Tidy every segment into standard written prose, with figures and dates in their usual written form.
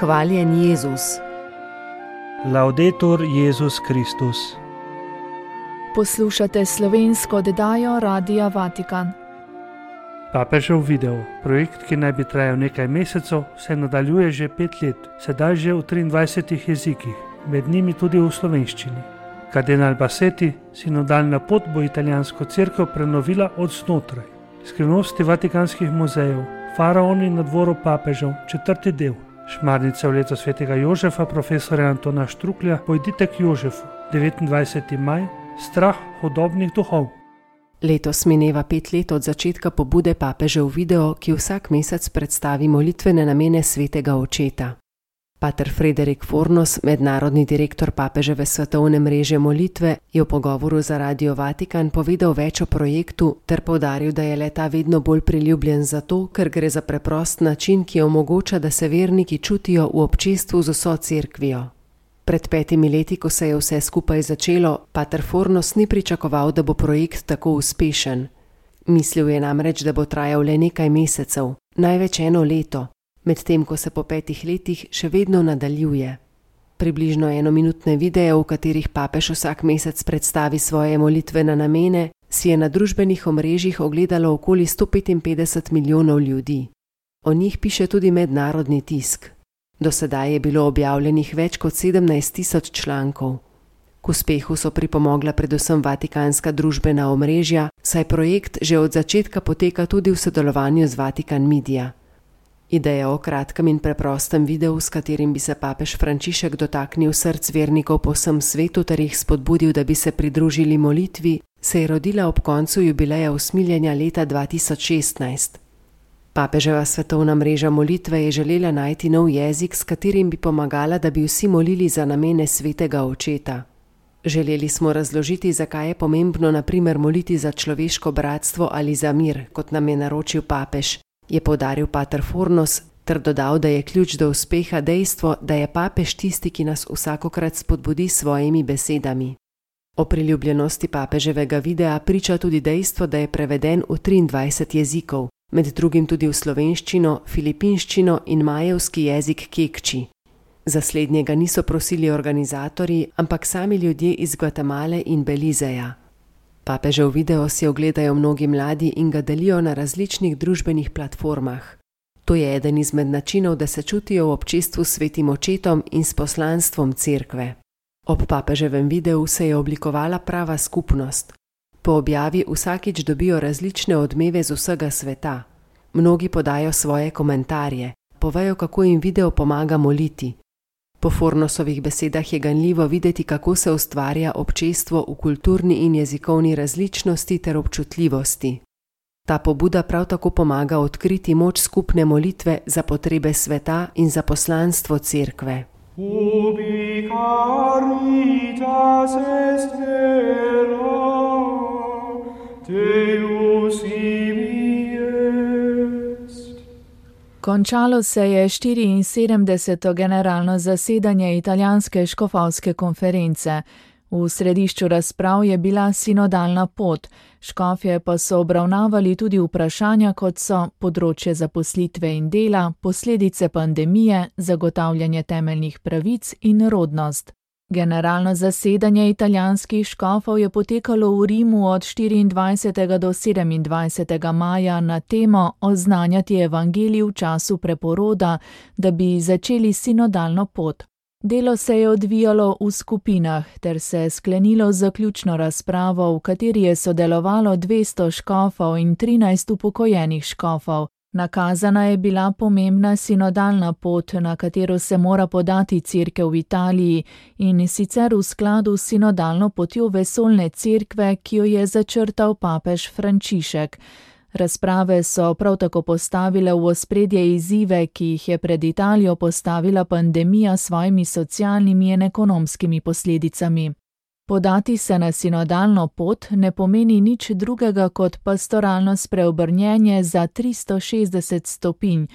Hvaljen Jezus. Laudetur Jezus Kristus. Poslušate slovensko oddajo Radia Vatikan. Papežev video, projekt, ki naj bi trajal nekaj mesecev, se nadaljuje že 5 let, sedaj že v 23 jezikih, med njimi tudi v slovenščini. Kardinal Bassetti, sinodalna pot bo italijansko cerkev prenovila od znotraj. Skrivnosti vatikanskih muzejev, faraoni na dvoru papežev, 4. del. Šmarnica v leto svetega Jožefa, profesora Antona Štruklja, Pojdite k Jožefu, 29. maj, strah hudobnih duhov. Letos mineva 5 let od začetka pobude Papežev video, ki vsak mesec predstavi molitvene namene svetega očeta. Pater Frederik Fornos, mednarodni direktor Papeževe svetovne mreže molitve, je v pogovoru za Radio Vatikan povedal več o projektu ter poudaril, da je le-ta vedno bolj priljubljen zato, ker gre za preprost način, ki omogoča, da se verniki čutijo v občestvu z vso cerkvijo. Pred 5 leti, ko se je vse skupaj začelo, Pater Fornos ni pričakoval, da bo projekt tako uspešen. Mislil je namreč, da bo trajal le nekaj mesecev, največ 1 leto, medtem ko se po 5 letih še vedno nadaljuje. Približno 1-minutne videe, v katerih papež vsak mesec predstavi svoje molitvene namene, si je na družbenih omrežjih ogledalo okoli 155 milijonov ljudi. O njih piše tudi mednarodni tisk. Do sedaj je bilo objavljenih več kot 17.000 člankov. K uspehu so pripomogla predvsem vatikanska družbena omrežja, saj projekt že od začetka poteka tudi v sodelovanju z Vatikan Media. Ideja o kratkem in preprostem videu, s katerim bi se papež Frančišek dotaknil src vernikov po vsem svetu ter jih spodbudil, da bi se pridružili molitvi, se je rodila ob koncu jubileja usmiljenja leta 2016. Papeževa svetovna mreža molitve je želela najti nov jezik, s katerim bi pomagala, da bi vsi molili za namene svetega očeta. Želeli smo razložiti, zakaj je pomembno na primer moliti za človeško bratstvo ali za mir, kot nam je naročil papež, je poudaril pater Fornos, ter dodal, da je ključ do uspeha dejstvo, da je papež tisti, ki nas vsakokrat spodbudi s svojimi besedami. O priljubljenosti papeževega videa priča tudi dejstvo, da je preveden v 23 jezikov, med drugim tudi v slovenščino, filipinščino in majevski jezik kekči. Za slednjega niso prosili organizatorji, ampak sami ljudje iz Gvatemale in Belizeja. Papežev video si ogledajo mnogi mladi in ga delijo na različnih družbenih platformah. To je eden izmed načinov, da se čutijo v občestvu s svetim očetom in s poslanstvom cerkve. Ob papeževem videu se je oblikovala prava skupnost. Po objavi vsakič dobijo različne odmeve z vsega sveta. Mnogi podajo svoje komentarje, povejo, kako jim video pomaga moliti. Po Fornosovih besedah je ganljivo videti, kako se ustvarja občestvo v kulturni in jezikovni različnosti ter občutljivosti. Ta pobuda prav tako pomaga odkriti moč skupne molitve za potrebe sveta in za poslanstvo cerkve. Ubi caritas est vera, Deus ibi est. Končalo se je 74. generalno zasedanje italijanske škofovske konference. V središču razprav je bila sinodalna pot, škofje pa so obravnavali tudi vprašanja, kot so področje zaposlitve in dela, posledice pandemije, zagotavljanje temeljnih pravic in rodnost. Generalno zasedanje italijanskih škofov je potekalo v Rimu od 24. do 27. maja na temo Oznanjati evangelij v času preporoda, da bi začeli sinodalno pot. Delo se je odvijalo v skupinah ter se sklenilo z zaključno razpravo, v kateri je sodelovalo 200 škofov in 13 upokojenih škofov. Nakazana je bila pomembna sinodalna pot, na katero se mora podati cerkev v Italiji, in sicer v skladu s sinodalno potjo vesoljne cerkve, ki jo je začrtal papež Frančišek. Razprave so prav tako postavile v ospredje izzive, ki jih je pred Italijo postavila pandemija s svojimi socialnimi in ekonomskimi posledicami. Podati se na sinodalno pot ne pomeni nič drugega kot pastoralno spreobrnjenje za 360 stopinj,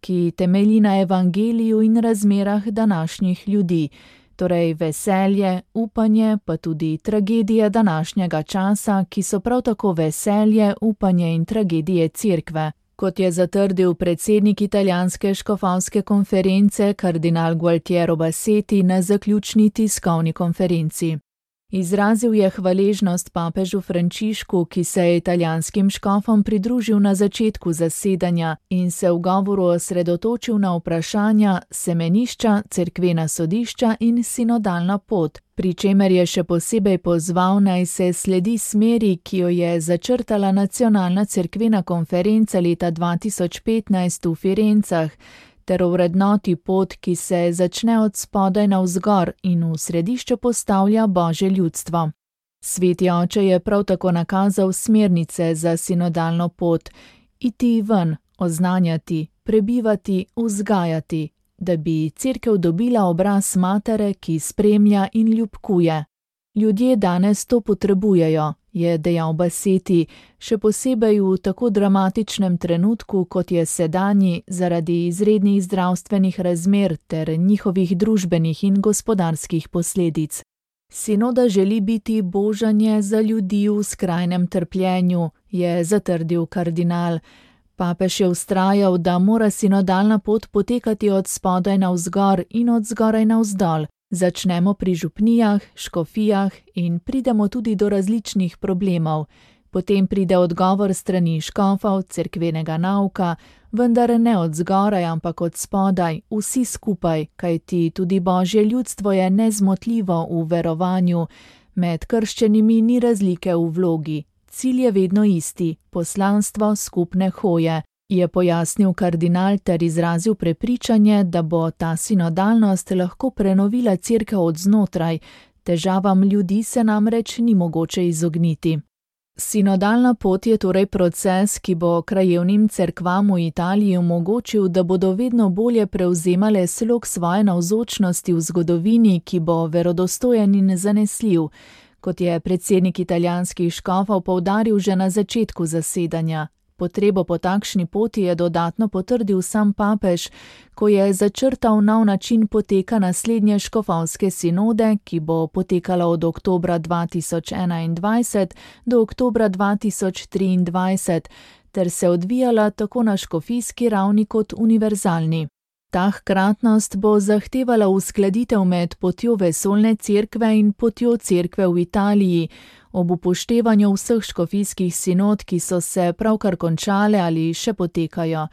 ki temelji na evangeliju in razmerah današnjih ljudi, torej veselje, upanje, pa tudi tragedije današnjega časa, ki so prav tako veselje, upanje in tragedije cerkve. Kot je zatrdil predsednik italijanske škofovske konference kardinal Gualtiero Bassetti na zaključni tiskovni konferenci. Izrazil je hvaležnost papežu Frančišku, ki se je italijanskim škofom pridružil na začetku zasedanja in se v govoru osredotočil na vprašanja semenišča, cerkvena sodišča in sinodalna pot, pri čemer je še posebej pozval, naj se sledi smeri, ki jo je začrtala nacionalna cerkvena konferenca leta 2015 v Firencah, ter ovrednoti pot, ki se začne od spodaj navzgor in v središče postavlja Božje ljudstvo. Sveti oče je prav tako nakazal smernice za sinodalno pot: iti ven, oznanjati, prebivati, vzgajati, da bi cerkev dobila obraz matere, ki spremlja in ljubkuje. Ljudje danes to potrebujejo, je dejal Bassetti, še posebej v tako dramatičnem trenutku, kot je sedanji, zaradi izrednih zdravstvenih razmer ter njihovih družbenih in gospodarskih posledic. Sinoda želi biti božanje za ljudi v skrajnem trpljenju, je zatrdil kardinal. Papež je vztrajal, da mora sinodalna pot potekati od spodaj navzgor in od zgoraj navzdol. Začnemo pri župnijah, škofijah in pridemo tudi do različnih problemov. Potem pride odgovor strani škofov, cerkvenega nauka, vendar ne od zgoraj, ampak od spodaj, vsi skupaj, kajti tudi Božje ljudstvo je nezmotljivo v verovanju. Med krščenimi ni razlike v vlogi. Cilj je vedno isti, poslanstvo skupne hoje, je pojasnil kardinal ter izrazil prepričanje, da bo ta sinodalnost lahko prenovila cerkev od znotraj, težavam ljudi se namreč ni mogoče izogniti. Sinodalna pot je torej proces, ki bo krajevnim cerkvam v Italiji omogočil, da bodo vedno bolje prevzemale slog svoje navzočnosti v zgodovini, ki bo verodostojen in zanesljiv, kot je predsednik italijanskih škofov poudaril že na začetku zasedanja. Potrebo po takšni poti je dodatno potrdil sam papež, ko je začrtal nov način poteka naslednje škofovske sinode, ki bo potekala od oktobra 2021 do oktobra 2023, ter se odvijala tako na škofijski ravni kot univerzalni. Ta hkratnost bo zahtevala uskladitev med potjo vesoljne cerkve in potjo cerkve v Italiji, ob upoštevanju vseh škofijskih sinod, ki so se pravkar končale ali še potekajo.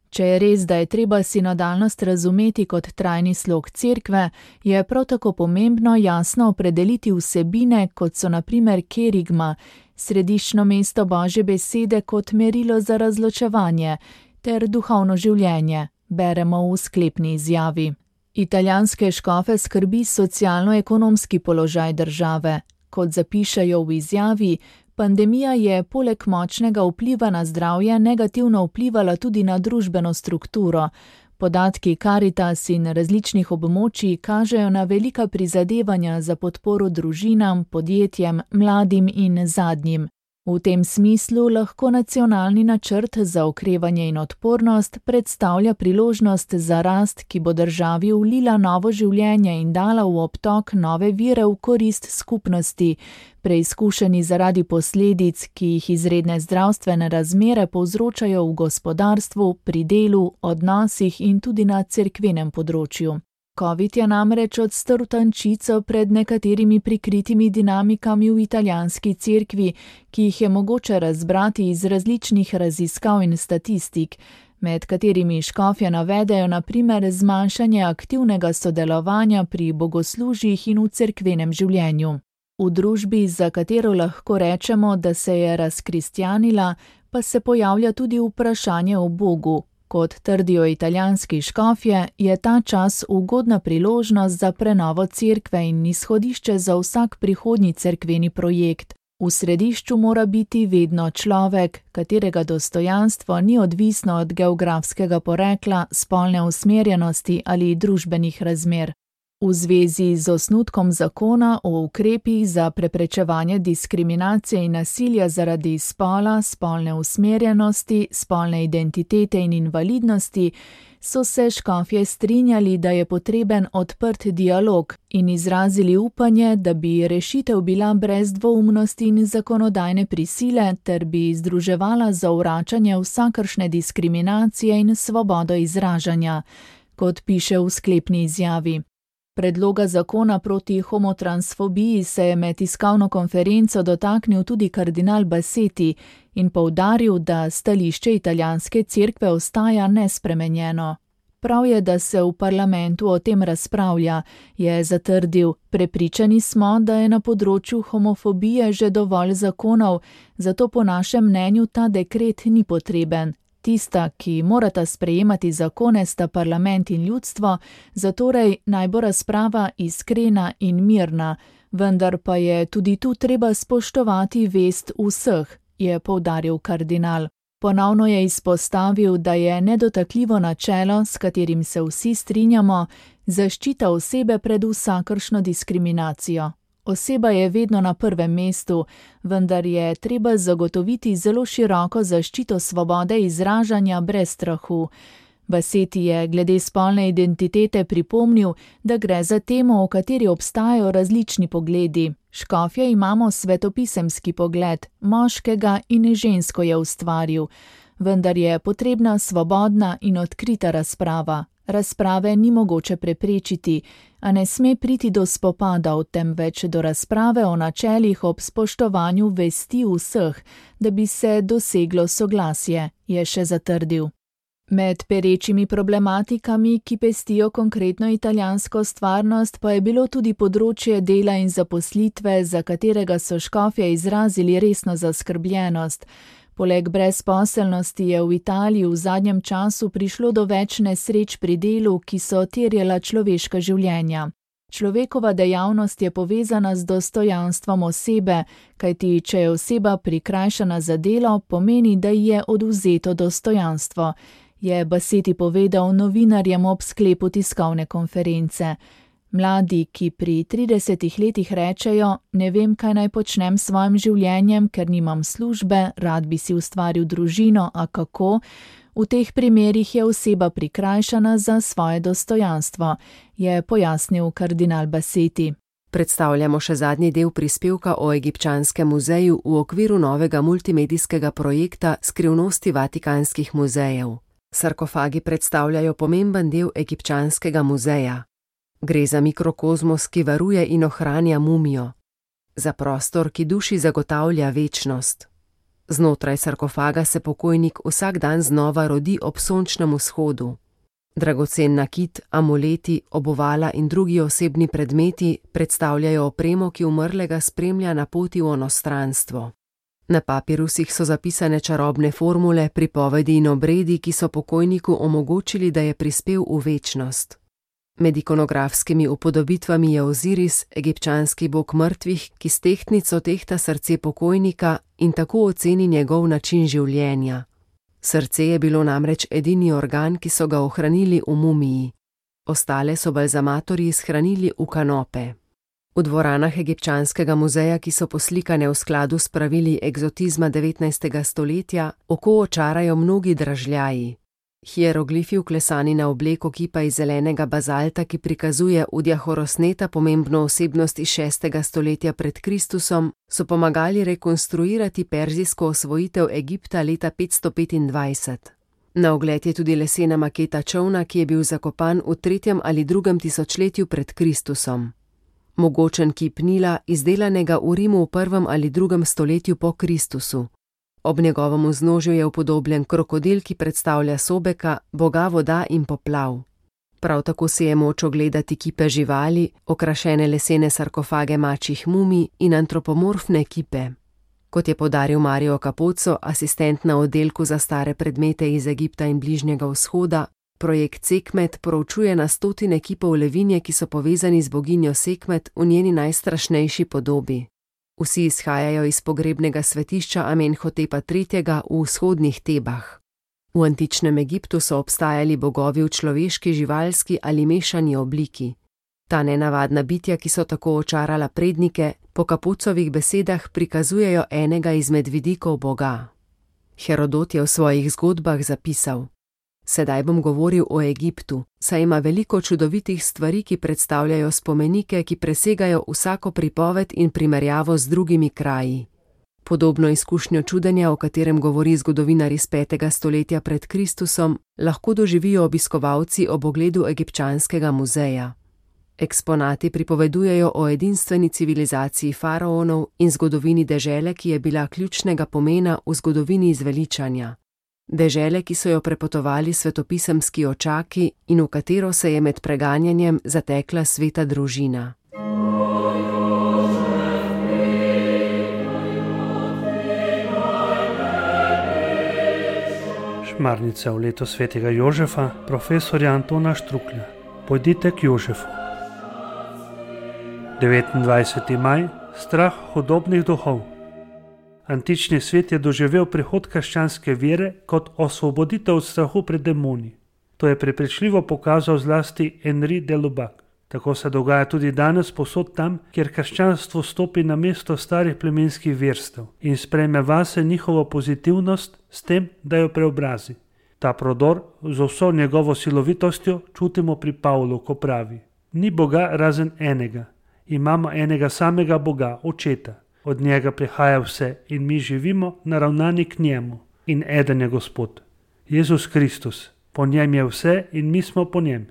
Če je res, da je treba sinodalnost razumeti kot trajni slog cerkve, je prav tako pomembno jasno opredeliti vsebine, kot so na primer kerigma, središčno mesto Božje besede kot merilo za razločevanje, ter duhovno življenje, beremo v sklepni izjavi. Italijanske škofe skrbi socialno-ekonomski položaj države. Kot zapišejo v izjavi, pandemija je poleg močnega vpliva na zdravje negativno vplivala tudi na družbeno strukturo. Podatki Caritas in različnih območij kažejo na velika prizadevanja za podporo družinam, podjetjem, mladim in zadnjim. V tem smislu lahko nacionalni načrt za okrevanje in odpornost predstavlja priložnost za rast, ki bo državi vlila novo življenje in dala v obtok nove vire v korist skupnosti, preizkušeni zaradi posledic, ki jih izredne zdravstvene razmere povzročajo v gospodarstvu, pri delu, odnosih in tudi na cerkvenem področju. Covid je namreč odstrl tančico pred nekaterimi prikritimi dinamikami v italijanski cerkvi, ki jih je mogoče razbrati iz različnih raziskav in statistik, med katerimi škofje navedejo na primer zmanjšanje aktivnega sodelovanja pri bogoslužjih in v cerkvenem življenju. V družbi, za katero lahko rečemo, da se je razkristjanila, pa se pojavlja tudi vprašanje o Bogu. Kot trdijo italijanski škofje, je ta čas ugodna priložnost za prenovo cerkve in izhodišče za vsak prihodnji cerkveni projekt. V središču mora biti vedno človek, katerega dostojanstvo ni odvisno od geografskega porekla, spolne usmerjenosti ali družbenih razmer. V zvezi z osnutkom zakona o ukrepih za preprečevanje diskriminacije in nasilja zaradi spola, spolne usmerjenosti, spolne identitete in invalidnosti so se škofje strinjali, da je potreben odprt dialog in izrazili upanje, da bi rešitev bila brez dvoumnosti in zakonodajne prisile ter bi združevala zavračanje vsakršne diskriminacije in svobodo izražanja, kot piše v sklepni izjavi. Predloga zakona proti homotransfobiji se je med tiskovno konferenco dotaknil tudi kardinal Bassetti in poudaril, da stališče italijanske cerkve ostaja nespremenjeno. Prav je, da se v parlamentu o tem razpravlja, je zatrdil. Prepričani smo, da je na področju homofobije že dovolj zakonov, zato po našem mnenju ta dekret ni potreben. Tista, ki morata sprejemati zakone, sta parlament in ljudstvo, zatorej naj bo razprava iskrena in mirna, vendar pa je tudi tu treba spoštovati vest vseh, je poudaril kardinal. Ponovno je izpostavil, da je nedotakljivo načelo, s katerim se vsi strinjamo, zaščita osebe pred vsakršno diskriminacijo. Oseba je vedno na prvem mestu, vendar je treba zagotoviti zelo široko zaščito svobode izražanja brez strahu. Bassetti je glede spolne identitete pripomnil, da gre za temo, o kateri obstajajo različni pogledi. Škofje imamo svetopisemski pogled, moškega in žensko je ustvaril, vendar je potrebna svobodna in odkrita razprava. Razprave ni mogoče preprečiti, a ne sme priti do spopadov, temveč do razprave o načelih ob spoštovanju vesti vseh, da bi se doseglo soglasje, je še zatrdil. Med perečimi problematikami, ki pestijo konkretno italijansko stvarnost, pa je bilo tudi področje dela in zaposlitve, za katerega so škofje izrazili resno zaskrbljenost. Poleg brezposelnosti je v Italiji v zadnjem času prišlo do več nesreč pri delu, ki so terjala človeška življenja. Človekova dejavnost je povezana z dostojanstvom osebe, kajti če je oseba prikrajšana za delo, pomeni, da ji je odvzeto dostojanstvo, je Bassetti povedal novinarjem ob sklepu tiskovne konference. Mladi, ki pri 30 letih rečejo, ne vem, kaj naj počnem s svojim življenjem, ker nimam službe, rad bi si ustvaril družino, a kako? V teh primerih je oseba prikrajšana za svoje dostojanstvo, je pojasnil kardinal Bassetti. Predstavljamo še zadnji del prispevka o Egipčanskem muzeju v okviru novega multimedijskega projekta Skrivnosti vatikanskih muzejev. Sarkofagi predstavljajo pomemben del Egipčanskega muzeja. Gre za mikrokozmos, ki varuje in ohranja mumijo. Za prostor, ki duši zagotavlja večnost. Znotraj sarkofaga se pokojnik vsak dan znova rodi ob sončnem vzhodu. Dragocen nakit, amuleti, obuvala in drugi osebni predmeti predstavljajo opremo, ki umrlega spremlja na poti v onostranstvo. Na papirusih so zapisane čarobne formule, pripovedi in obredi, ki so pokojniku omogočili, da je prispel v večnost. Med ikonografskimi upodobitvami je Oziris, egipčanski bog mrtvih, ki s tehtnico tehta srce pokojnika in tako oceni njegov način življenja. Srce je bilo namreč edini organ, ki so ga ohranili v mumiji. Ostale so balzamatorji shranili v kanope. V dvoranah Egipčanskega muzeja, ki so poslikane v skladu s pravili egzotizma 19. stoletja, oko očarajo mnogi dražljaji. Hieroglifi vklesani na obleko kipa iz zelenega bazalta, ki prikazuje Udja Horosneta, pomembno osebnost iz 6. stoletja pred Kristusom, so pomagali rekonstruirati perzijsko osvojitev Egipta leta 525. Na ogled je tudi lesena maketa čolna, ki je bil zakopan v 3. ali 2. tisočletju pred Kristusom. Mogočen kip Nila, izdelanega v Rimu v 1. ali 2. stoletju po Kristusu. Ob njegovem vznožju je upodobljen krokodil, ki predstavlja Sobeka, boga voda in poplav. Prav tako si je moč ogledati kipe živali, okrašene lesene sarkofage mačjih mumij in antropomorfne kipe. Kot je poudaril Mario Capozzo, asistent na oddelku za stare predmete iz Egipta in Bližnjega vzhoda, projekt Sekmet proučuje na stotine kipov levinje, ki so povezani z boginjo Sekmet v njeni najstrašnejši podobi. Vsi izhajajo iz pogrebnega svetišča Amenhotepa III. V vzhodnih Tebah. V antičnem Egiptu so obstajali bogovi v človeški, živalski ali mešani obliki. Ta nenavadna bitja, ki so tako očarala prednike, po Kapucovih besedah prikazujejo enega izmed vidikov Boga. Herodot je v svojih zgodbah zapisal: Sedaj bom govoril o Egiptu, saj ima veliko čudovitih stvari, ki predstavljajo spomenike, ki presegajo vsako pripoved in primerjavo z drugimi kraji. Podobno izkušnjo čudenja, o katerem govori zgodovinar iz 5. stoletja pred Kristusom, lahko doživijo obiskovalci ob ogledu egipčanskega muzeja. Eksponati pripovedujejo o edinstveni civilizaciji faraonov in zgodovini dežele, ki je bila ključnega pomena v zgodovini izveličanja. Dežele, ki so jo prepotovali svetopisemski očaki in v katero se je med preganjanjem zatekla sveta družina. Šmarnica v leto svetega Jožefa, profesorja Antona Štruklja. Pojdite k Jožefu. 29. maj, strah hudobnih duhov. Antični svet je doživel prihod krščanske vere kot osvoboditev od strahu pred demoni. To je prepričljivo pokazal zlasti Henri de Lubac. Tako se dogaja tudi danes povsod tam, kjer krščanstvo stopi na mesto starih plemenskih verstev in sprejme vase njihovo pozitivnost s tem, da jo preobrazi. Ta prodor z vso njegovo silovitostjo čutimo pri Pavlu, ko pravi: Ni Boga razen enega. Imamo enega samega Boga, Očeta. Od njega prihaja vse in mi živimo naravnani k njemu. In eden je Gospod, Jezus Kristus. Po njem je vse in mi smo po njem.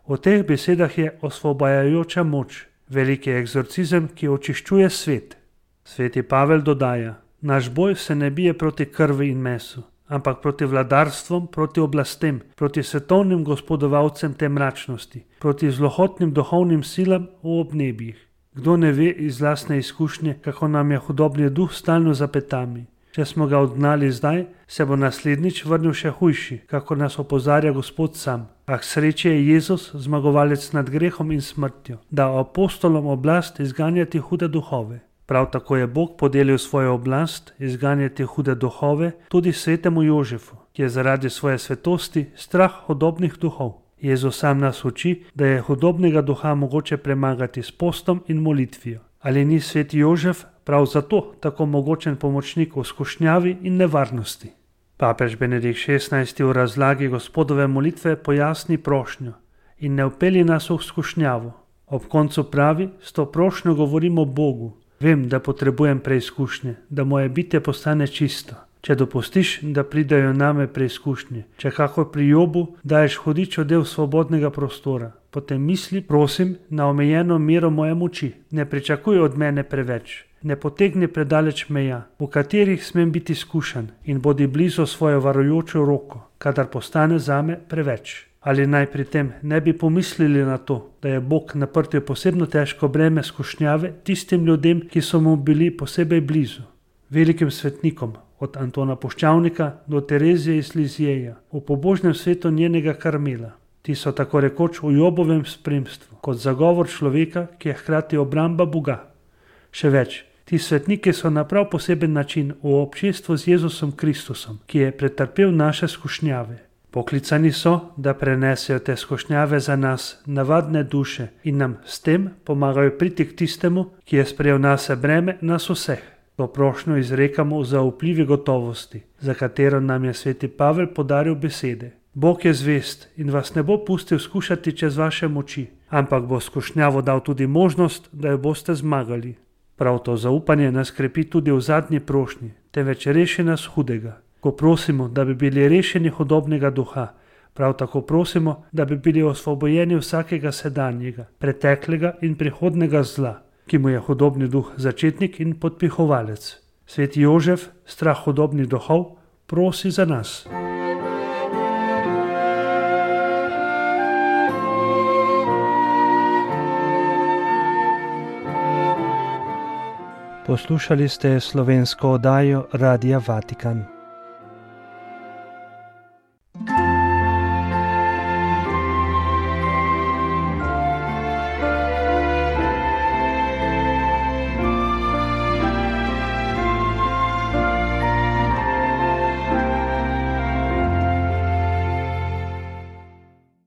V teh besedah je osvobajajoča moč, veliki egzorcizem, ki očiščuje svet. Sveti Pavel dodaja: Naš boj se ne bije proti krvi in mesu, ampak proti vladarstvom, proti oblastem, proti svetovnim gospodovalcem te mračnosti, proti zlohotnim duhovnim silam v obnebjih. Kdo ne ve iz lastne izkušnje, kako nam je hudobni duh stalno za petami. Če smo ga odgnali zdaj, se bo naslednjič vrnil še hujši, kako nas opozarja Gospod sam. A k sreči je Jezus zmagovalec nad grehom in smrtjo, da apostolom oblast izganjati hude duhove. Prav tako je Bog podelil svojo oblast izganjati hude duhove tudi svetemu Jožefu, ki je zaradi svoje svetosti strah hudobnih duhov. Jezus sam nas uči, da je hudobnega duha mogoče premagati s postom in molitvijo. Ali ni sveti Jožef prav zato tako mogočen pomočnik v skušnjavi in nevarnosti? Papež Benedikt XVI v razlagi Gospodove molitve pojasni prošnjo: In ne vpelji nas v skušnjavo. Ob koncu pravi: S to prošnjo govorimo Bogu. Vem, da potrebujem preizkušnje, da moje bitje postane čisto. Če dopustiš, da pridejo name preizkušnje, če kako pri Jobu daješ hudičo del svobodnega prostora, potem misli, prosim, na omejeno mero moje moči. Ne pričakuj od mene preveč. Ne potegni predaleč meja, v katerih smem biti skušan, in bodi blizu svojo varujočo roko, kadar postane zame preveč. Ali naj pri tem ne bi pomislili na to, da je Bog naprtil posebno težko breme skušnjave tistim ljudem, ki so mu bili posebej blizu. Velikim svetnikom, od Antona Puščavnika do Terezije iz Lizjeja, v pobožnem svetu njenega Karmela. Ti so tako rekoč v Jobovem spremstvu, kot zagovor človeka, ki je hkrati obramba Boga. Še več, ti svetniki so na prav poseben način v občestvu z Jezusom Kristusom, ki je pretrpel naše skušnjave. Poklicani so, da prenesejo te skušnjave za nas, navadne duše, in nam s tem pomagajo priti k tistemu, ki je sprejel nase breme nas vseh. To prošnjo izrekamo v zaupljivi gotovosti, za katero nam je sveti Pavel podaril besede. Bog je zvest in vas ne bo pustil skušati čez vaše moči, ampak bo skušnjavo dal tudi možnost, da jo boste zmagali. Prav to zaupanje nas krepi tudi v zadnji prošnji, temveč reši nas hudega. Ko prosimo, da bi bili rešeni hudobnega duha, prav tako prosimo, da bi bili osvobojeni vsakega sedanjega, preteklega in prihodnega zla, ki mu je hudobni duh začetnik in podpihovalec. Sveti Jožef, strah hudobnih duhov, prosi za nas. Poslušali ste slovensko oddajo Radia Vatikan.